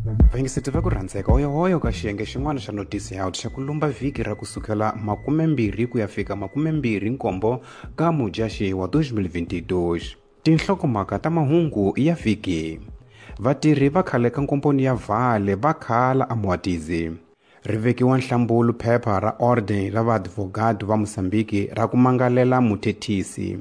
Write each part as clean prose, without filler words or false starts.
Vayingiseti va ku rhandzeka, hoyohoyo ka xiyenge xin'wana xa Notice Out xa ku lumba vhiki ra kusukela 20 ku ya fika 27 ka Mudyaxihi wa 2022. Tinhlokomhaka ta mahungu ya vhiki. Vatirhi va khale ka nkomponi ya Vale va khala eMwatizi. Ri vekiwa nhlambulu phepha ra Ordem ra Vaadvogado va Mozambique ra ku mangalela muthethisi.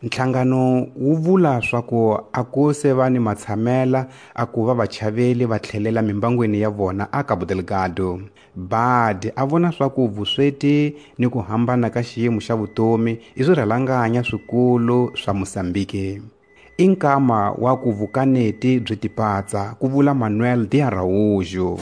Nhlangano wu vula swa ku a ku se va ni matshamela a ku va vachaveli va tlhelela mimbangwini ya vona a Cabo Delgado. Bad a vona swa ku vusweti ni ku hambana ka xiyimo xa vutomi i swirhalanganya swikulu swa Mozambique. I nkama wa ku vukaneti byi tipatsa, ku vula Manuel de Araújo.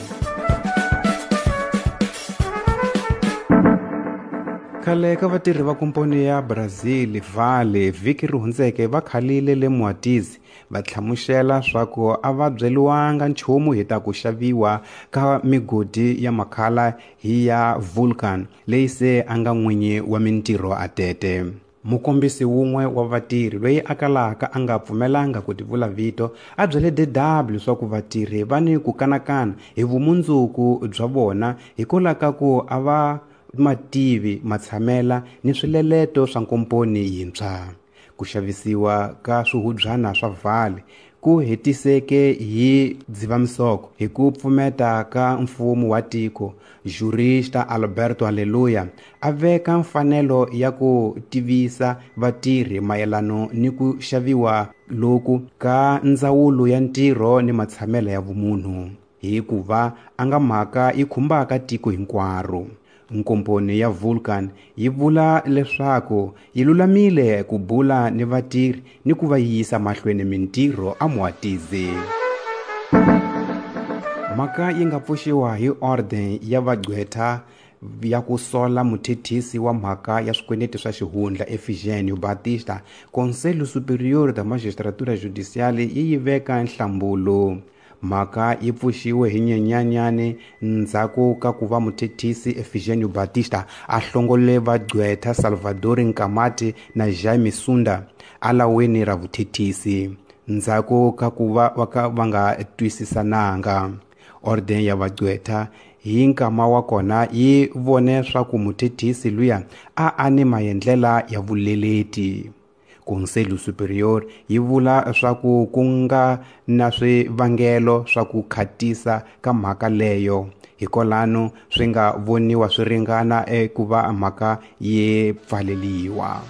Khale ka vatirhi va komponi ya Brazil Vale vhiki ri hundzeke va khalile le Mwatizi va hlamusela swa ku a va byeliwanga nchumu hi ta ku xaviwa ka migodi ya makhala hi ya Vulcan leyi se a nga n'winyi wa mintirho a tete. Mukombisi wun'we wa vatirhi loyi a kalaka a nga pfumelanga ku tivula vito a byele DW swa ku vatirhi va ni ku kanakana hi vumundzuku bya vona hikwalaho ka ku a va mativi matshamela ni swileleto swa nkomponi yintshwa. Ku xavisiwa ka swihubyana swa Vale ku hetiseke hi Dzivamisoko hi ku pfumeta ka mfumo wa tiko. Jurista Alberto Aleluya a veka mfanelo ya ku tivisa vatirhi mayelano ni ku xaviwa loku ka ndzawulo ya ntirho ni matshamelo ya vumunhu, hikuva a nga mhaka yi khumbaka tiko hinkwaro. Nkomponi ya Vulcan yi vula leswaku yi lulamile ku bula ni vatirhi ni ku va yisa mahlweni mintirho eMwatizi. Mhaka yi nga pfuxiwa hi Ordem ya vagqwetha ya ku sola muthethisi wa mhaka ya swikweleti swa xihundla Efigênio Batista. Conselho Superior da Magistratura Judicial yi yi veka nhlambulo. Mhaka yi pfuxiwe hi Nyenyanyani ndzhaku ka ku va muthethisi Efigênio Batista a hlongole vagqwetha Salvador Nkamati na Jaime Sunda alaweni ra vuthethisi ndzhaku ka ku va va nga twisisananga. Ordem ya vagqwetha hi nkama wa kona yi vone swa ku muthethisi luya a a ni maendlela ya vuleleti. Conselho Superior yi vula swa ku ku nga na swivangelo swa ku khatisa ka mhaka leyo, hikwalano swi nga voniwa swi ringana eku va mhaka yi pfaleliwa.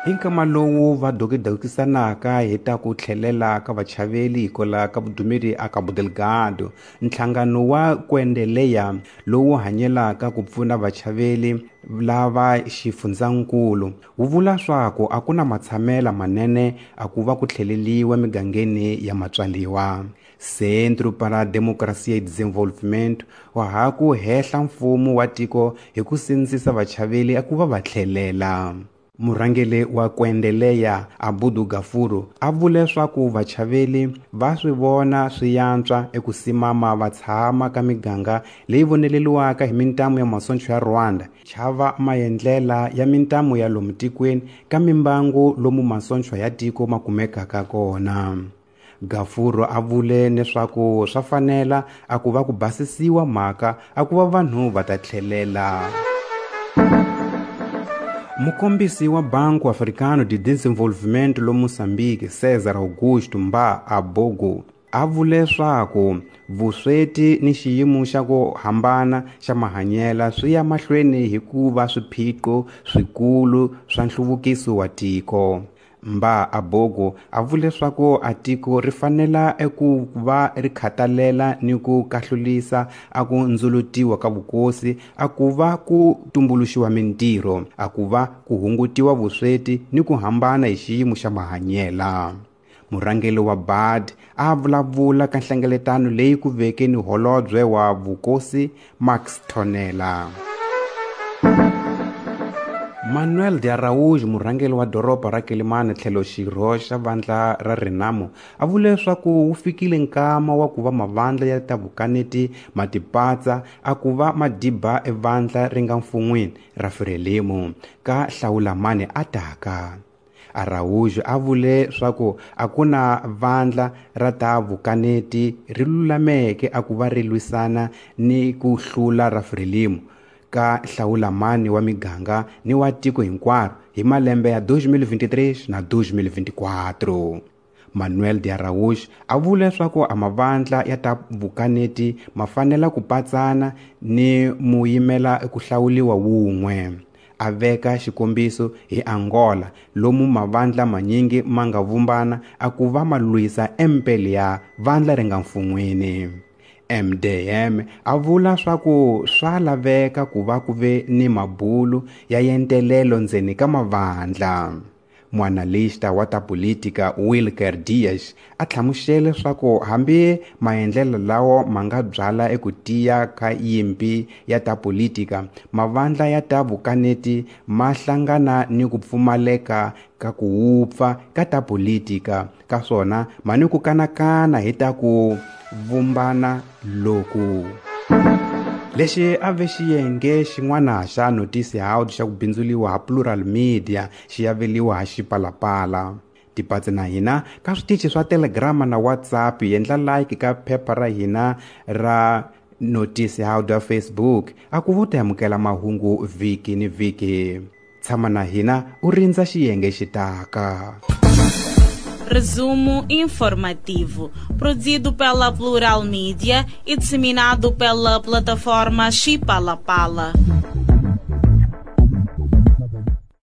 Hi nkama lowu va dokidokisanaka hi ta ku tlhelela ka vachaveli hikwalaho ka vudumeri a Cabo Delgado, nhlangano wa Kwendeleya lowu hanyelaka ku pfuna vachaveli lava xifundzankulu wu vula swa ku a ku na matshamela manene a ku va ku tlheleliwa migangeni ya matswaliwa. Centro para a Democracia e Desenvolvimento wa ha ku hehla mfumo wa tiko hi ku sindzisa vachaveli a ku va va tlhelela. Murhangeri wa Kwendeleya Abudu Gafuru a vule swa ku vachaveli va swi vona swi yantswa eku simama va tshama ka miganga leyi voneleliwaka hi mintamu ya masoncho ya Rwanda, chava maendlela ya mintamu ya lomu tikweni ka mimbangu lomu masoncho ya tiko ma kumekaka kona. Gafuru a vule leswaku swa fanela a ku va ku basisiwa mhaka a ku va vanhu va ta tlhelela. Mukombisi wa Banco Africano de Desenvolvimento lo Mozambique, César Augusto Mba Abogo, a vule swa ku vusweti ni xiyimo xa ku hambana xa mahanyela swi ya mahlweni hi ku va swiphiqo swikulu swa nhluvukiso wa tiko. Mba Abogo a vule swa ku a tiko ri fanela eku va ri khatalela ni ku kahlulisa a ku ndzulutiwa ka vukosi, a ku va ku tumbuluxiwa mintirho, a ku va ku hungutiwa vusweti ni ku hambana hi xiyimo xa mahanyela. Murhangeri wa BAD a vulavula ka nhlengeletano leyi ku veke ni holobye wa vukosi Max Tonela. Manuel de Araújo, murhangeri wa doroba ra Quelimane tlhelo xirho xa vandla ra Renamo, a vule leswaku wu fikile nkama wa ku va mavandla ya ta vukaneti ma tipatsa a ku va madiba evandla ri nga mfun'wini ra Frelimo ka hlawulamani a taka. Araújo a vule swaku a ku na vandla ra ta vukaneti ri lulameke a ku va ri lwisana ni ku hlula ra Frelimo ka hlawulamani wa miganga ni wa tiko hinkwaro hi malembe ya 2023 na 2024. Manuel de Araújo a vule leswaku a mavandla ya ta vukaneti ma fanela ku patsana ni muyimela ku hlawuliwa wun'we. A veka xikombiso hi Angola lomu mavandla manyingi ma nga vumbana a ku va ma lwisa empeli ya vandla ri nga mfun'wini. MDM a vula swaku swa laveka ku va ku ve ni mabulu ya yentelelo ndzeni ka mavandla. Muanalista wa ta politika Wilker Dias a hlamusele swaku hambi maendlelo lawo ma nga byala eku tiya ka yimpi ya ta politika, mavandla ya ta vukaneti ma hlangana ni ku pfumaleka ka ku wupfa ka ta politika, ka swona ma ni ku kanakana hi ta ku vumbana loku. Lexi a ve xiyenge xin'wana xa Noticias xa ku bindzuliwa ha Plural Media xi aveliwa ha Xipalapala. Tipatse na hina ka switichi swa Telegram na WhatsApp, endla like ka phepha ra hina ra Noticias ya Facebook a ku vuta amukela mahungu vhiki ni vhiki. Tshama na hina u rindza xiyenge xitaka. Resumo informativo, produzido pela Plural Mídia e disseminado pela plataforma Xipalapala.